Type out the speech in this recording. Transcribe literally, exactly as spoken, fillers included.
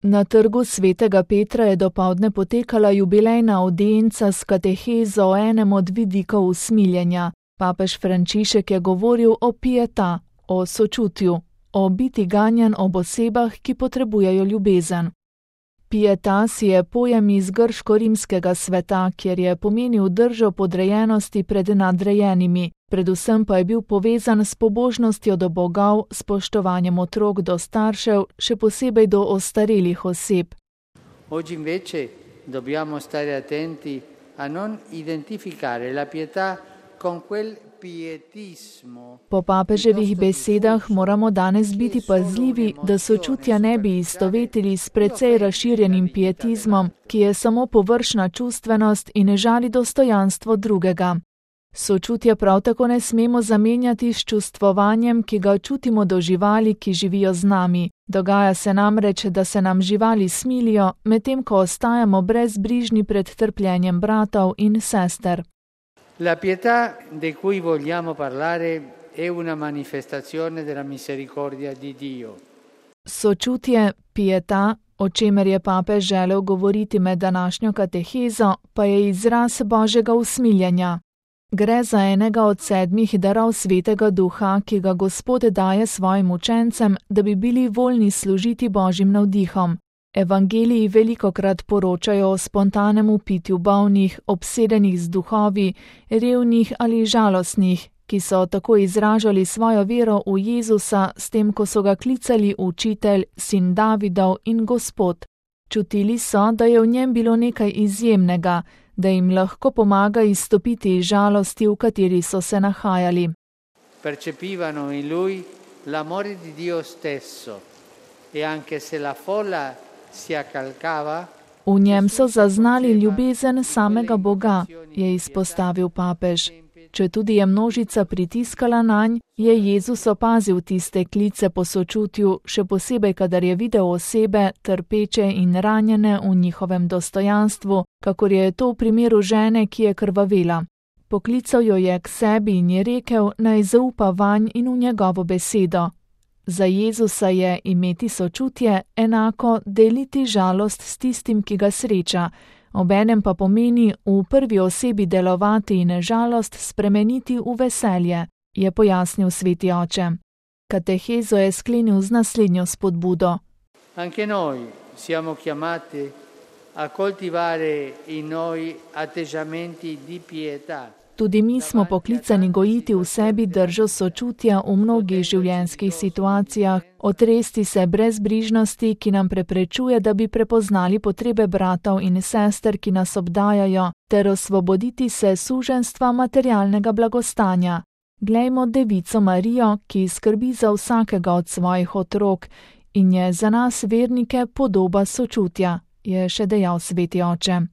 Na trgu svetega Petra je dopoldne potekala jubilejna avdienca s katehezo o enem od vidikov usmiljenja. Papež Frančišek je govoril o pieta, o sočutju, o biti ganjan ob osebah, ki potrebujejo ljubezen. Pietas je pojem iz grško-rimskega sveta, kjer je pomenil držo podrejenosti pred nadrejenimi, predvsem pa je bil povezan s pobožnostjo do bogov, spoštovanjem otrok do staršev, še posebej do ostarelih oseb. Oggi invece dobbiamo stare attenti a non identificare la pietà con quel pietismo. Po papeževih besedah moramo danes biti pazljivi, da sočutja ne bi istovetili s precej razširjenim pietizmom, ki je samo površna čustvenost in ne žali dostojanstvo drugega. Sočutja prav tako ne smemo zamenjati s čustvovanjem, ki ga čutimo do živali, ki živijo z nami. Dogaja se namreč, da se nam živali smilijo, medtem ko ostajamo brezbrižni pred trpljenjem bratov in sester. La pietà di cui vogliamo parlare è una manifestazione della misericordia di Dio. Sočutje, pieta, o čemer je papež želel govoriti med današnjo katehezo, pa je izraz Božjega usmiljenja. Gre za enega od sedmih darov Svetega Duha, ki ga Gospod daje svojim učencem, da bi bili voljni služiti Božjim navdihom. Evangeliji velikokrat poročajo o spontanem upitju bolnih, obsedenih z duhovi, revnih ali žalostnih, ki so tako izražali svojo vero v Jezusa s tem, ko so ga klicali učitelj, sin Davidov in Gospod. Čutili so, da je v njem bilo nekaj izjemnega, da jim lahko pomaga izstopiti iz žalosti, v kateri so se nahajali. Percepivano in lui l'amore di Dio stesso e anche se la folla si accalcava. V njem so zaznali ljubezen samega Boga, je izpostavil papež. Če tudi je množica pritiskala nanj, je Jezus opazil tiste klice po sočutju, še posebej, kadar je videl osebe, trpeče in ranjene v njihovem dostojanstvu, kakor je to v primeru žene, ki je krvavela. Poklical jo je k sebi in je rekel, naj zaupa vanj in v njegovo besedo. Za Jezusa je imeti sočutje enako deliti žalost s tistim, ki ga sreča, obenem pa pomeni v prvi osebi delovati in žalost spremeniti v veselje, je pojasnil sveti oče. Katehezo je sklenil z naslednjo spodbudo. Anche noi siamo chiamati a coltivare in noi atteggiamenti di pietà. Tudi mi smo poklicani gojiti v sebi držo sočutja v mnogih življenjskih situacijah, otresti se brezbrižnosti, ki nam preprečuje, da bi prepoznali potrebe bratov in sester, ki nas obdajajo, ter osvoboditi se suženjstva materialnega blagostanja. Glejmo Devico Marijo, ki skrbi za vsakega od svojih otrok in je za nas vernike podoba sočutja, je še dejal sveti oče.